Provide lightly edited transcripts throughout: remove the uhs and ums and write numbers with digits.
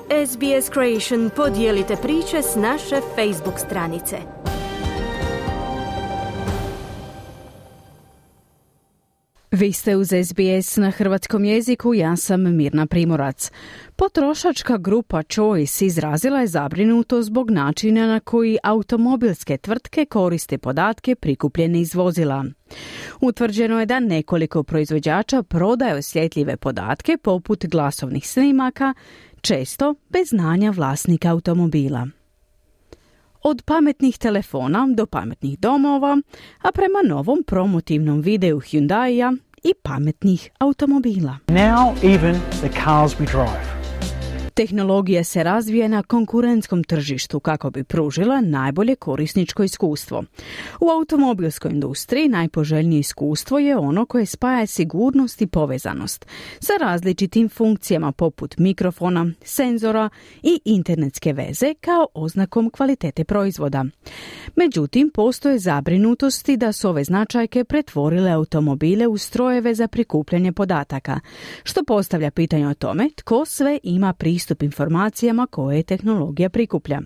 SBS Creation, podijelite priče s naše Facebook stranice. Vi ste uz SBS na hrvatskom jeziku, ja sam Mirna Primorac. Potrošačka grupa Choice izrazila je zabrinutost zbog načina na koji automobilske tvrtke koriste podatke prikupljene iz vozila. Utvrđeno je da nekoliko proizvođača prodaje osjetljive podatke poput glasovnih snimaka, često bez znanja vlasnika automobila. Od pametnih telefona do pametnih domova, a prema novom promotivnom videu Hyundaia i pametnih automobila. Now even the cars we drive. Tehnologija se razvija na konkurentskom tržištu kako bi pružila najbolje korisničko iskustvo. U automobilskoj industriji najpoželjnije iskustvo je ono koje spaja sigurnost i povezanost sa različitim funkcijama poput mikrofona, senzora i internetske veze kao oznakom kvalitete proizvoda. Međutim, postoje zabrinutosti da su ove značajke pretvorile automobile u strojeve za prikupljanje podataka, što postavlja pitanje o tome tko sve ima pristup informacijama koje tehnologija prikuplja.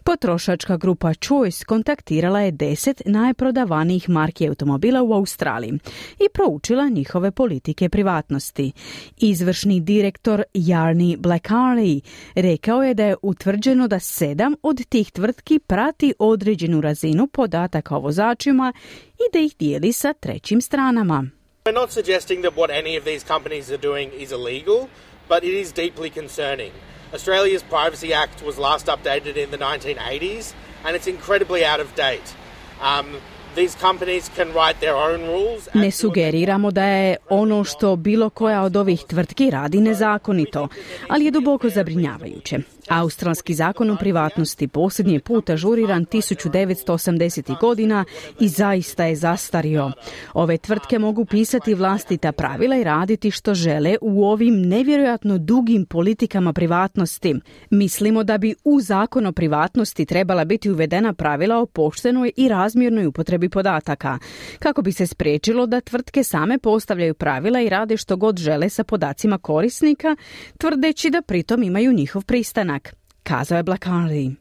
Potrošačka grupa Choice kontaktirala je 10 najprodavanijih marki automobila u Australiji i proučila njihove politike privatnosti. Izvršni direktor Jarni Blackharley rekao je da je utvrđeno da 7 od tih tvrtki prati određenu razinu podataka o vozačima i da ih dijeli sa trećim stranama. We're not suggesting that what any of these companies are doing is illegal, but it is deeply concerning. Australia's Privacy Act was last updated in the 1980s, and it's incredibly out of date. These companies can write their own rules. Ne sugeriramo da je ono što bilo koja od ovih tvrtki radi nezakonito, ali je duboko zabrinjavajuće. Australski zakon o privatnosti posljednji put ažuriran 1980. godina i zaista je zastario. Ove tvrtke mogu pisati vlastita pravila i raditi što žele u ovim nevjerojatno dugim politikama privatnosti. Mislimo da bi u zakon o privatnosti trebala biti uvedena pravila o poštenoj i razmjernoj upotrebi podataka, kako bi se spriječilo da tvrtke same postavljaju pravila i rade što god žele sa podacima korisnika, tvrdeći da pritom imaju njihov pristanak, kazao je Blackharley.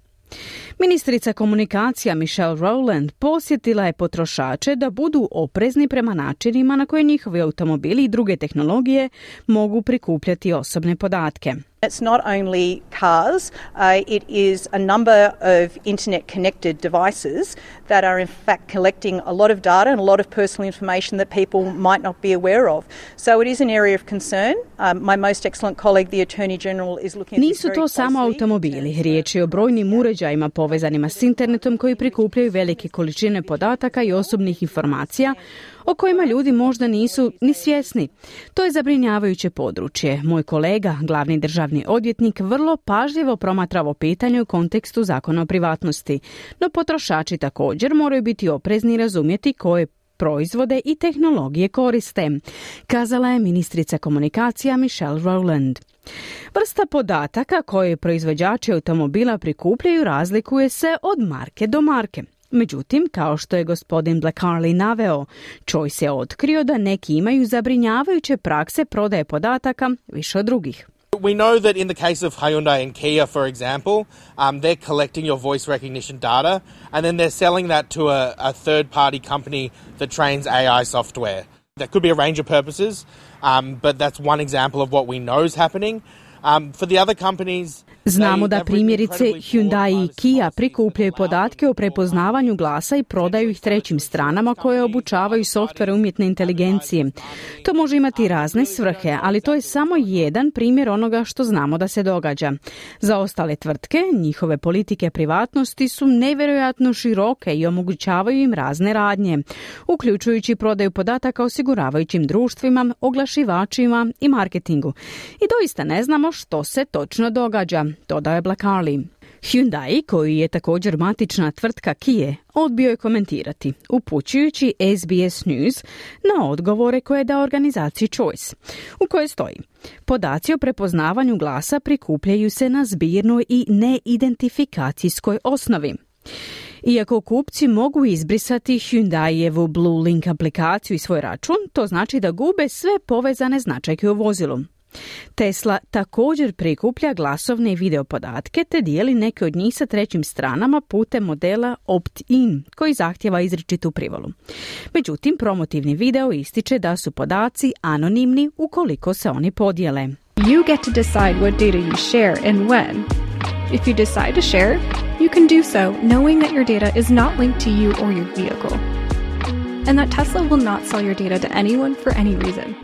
Ministrica komunikacija Michelle Rowland posjetila je potrošače da budu oprezni prema načinima na koje njihovi automobili i druge tehnologije mogu prikupljati osobne podatke. It's not only cars, it is a number of internet-connected devices that are in fact collecting a lot of data and a lot of personal information that people might not be aware of. So it is an area of concern. My most excellent colleague, the Attorney General, is looking at this very closely. Nisu to samo automobili. Riječ je o brojnim uređajima povezanima s internetom koji prikupljaju velike količine podataka i osobnih informacija o kojima ljudi možda nisu ni svjesni. To je zabrinjavajuće područje. Moj kolega, glavni državni odvjetnik, vrlo pažljivo promatra ovo pitanje u kontekstu zakona o privatnosti. No potrošači također moraju biti oprezni i razumjeti koje proizvode i tehnologije koriste, kazala je ministrica komunikacija Michelle Rowland. Vrsta podataka koje proizvođači automobila prikupljaju razlikuje se od marke do marke. Međutim, kao što je gospodin Blackharley naveo, Choice je otkrio da neki imaju zabrinjavajuće prakse prodaje podataka više od drugih. We know that in the case of Hyundai and Kia, for example, they're collecting your voice recognition data and then they're selling that to a third-party company that trains AI software. That could be a range of purposes, but that's one example of what we know is happening. For the other companies, znamo da primjerice Hyundai i Kia prikupljaju podatke o prepoznavanju glasa i prodaju ih trećim stranama koje obučavaju softvere umjetne inteligencije. To može imati razne svrhe, ali to je samo jedan primjer onoga što znamo da se događa. Za ostale tvrtke, njihove politike privatnosti su nevjerojatno široke i omogućavaju im razne radnje, uključujući prodaju podataka osiguravajućim društvima, oglašivačima i marketingu. I doista ne znamo što se točno događa, dodao je Blackharley. Hyundai, koji je također matična tvrtka Kia, odbio je komentirati, upućujući SBS News na odgovore koje je dao organizaciji Choice, u kojoj stoji: podaci o prepoznavanju glasa prikupljaju se na zbirnoj i neidentifikacijskoj osnovi. Iako kupci mogu izbrisati Hyundaijevu Blue Link aplikaciju i svoj račun, to znači da gube sve povezane značajke u vozilu. Tesla također prikuplja glasovne i video podatke te dijeli neke od njih sa trećim stranama putem modela opt-in koji zahtjeva izričitu privolu. Međutim, promotivni video ističe da su podaci anonimni ukoliko se oni podijele. You get to decide what data you share and when. If you decide to share, you can do so knowing that your data is not linked to you or your vehicle, and that Tesla will not sell your data to anyone for any reason.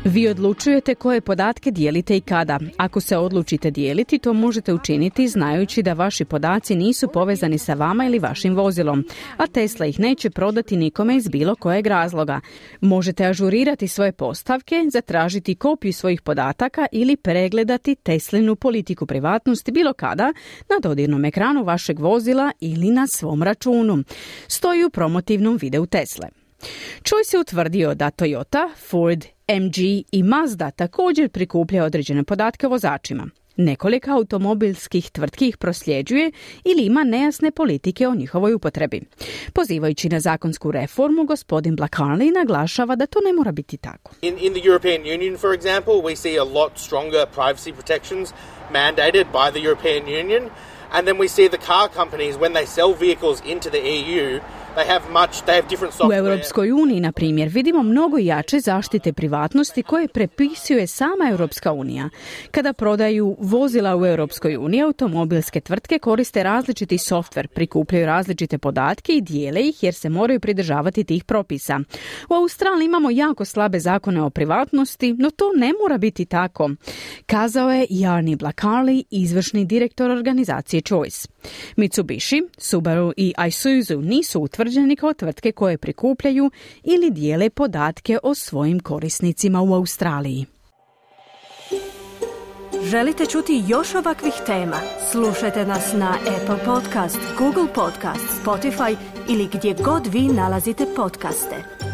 Vi odlučujete koje podatke dijelite i kada. Ako se odlučite dijeliti, to možete učiniti znajući da vaši podaci nisu povezani sa vama ili vašim vozilom, a Tesla ih neće prodati nikome iz bilo kojeg razloga. Možete ažurirati svoje postavke, zatražiti kopiju svojih podataka ili pregledati Teslinu politiku privatnosti bilo kada na dodirnom ekranu vašeg vozila ili na svom računu. Stoji u promotivnom videu Tesle. Choice je utvrdio da Toyota, Ford, MG i Mazda također prikuplja određene podatke o vozačima. Nekoliko automobilskih tvrtki ih prosljeđuje ili ima nejasne politike o njihovoj upotrebi. Pozivajući na zakonsku reformu, gospodin Blacarney naglašava da to ne mora biti tako. In the European Union, for example, we see a lot stronger privacy protections mandated by the European Union. And then we see the car companies, when they sell vehicles into the EU, they have different software. U Europskoj uniji, na primjer, vidimo mnogo jače zaštite privatnosti koje prepisuje sama Europska unija. Kada prodaju vozila u Europskoj uniji, automobilske tvrtke koriste različiti softver, prikupljaju različite podatke i dijele ih jer se moraju pridržavati tih propisa. U Australiji imamo jako slabe zakone o privatnosti, no to ne mora biti tako, kazao je Jarni Blacarney, izvršni direktor organizacije Choice. Mitsubishi, Subaru i Isuzu nisu utvrđeni kao tvrtke koje prikupljaju ili dijele podatke o svojim korisnicima u Australiji. Želite čuti još ovakvih tema? Slušajte nas na Apple Podcast, Google Podcast, Spotify ili gdje god vi nalazite podcaste.